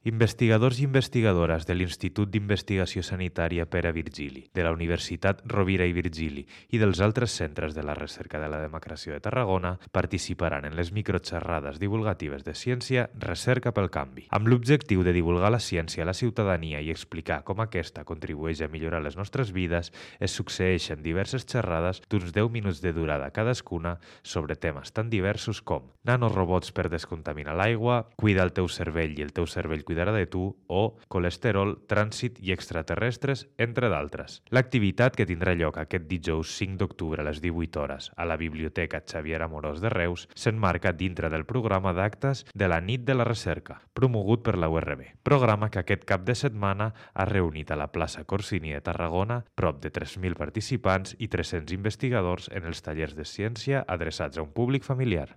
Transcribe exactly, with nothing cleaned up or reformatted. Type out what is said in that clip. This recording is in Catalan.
Investigadors i investigadores de l'Institut d'Investigació Sanitària Pere Virgili, de la Universitat Rovira i Virgili i dels altres centres de la recerca de la democràcia de Tarragona participaran en les microxerrades divulgatives de ciència Recerca pel Canvi, amb l'objectiu de divulgar la ciència a la ciutadania i explicar com aquesta contribueix a millorar les nostres vides. Es succeeixen diverses xerrades d'uns deu minuts de durada cadascuna sobre temes tan diversos com nanorobots per descontaminar l'aigua, cuida el teu cervell i el teu cervell cuidarà de tu, o colesterol, trànsit i extraterrestres, entre d'altres. L'activitat, que tindrà lloc aquest dijous cinc d'octubre a les divuit hores a la Biblioteca Xavier Amorós de Reus, s'emmarca dintre del programa d'actes de la Nit de la Recerca, promogut per la U R B. Programa que aquest cap de setmana ha reunit a la plaça Corsini de Tarragona prop de tres mil participants i tres-cents investigadors en els tallers de ciència adreçats a un públic familiar.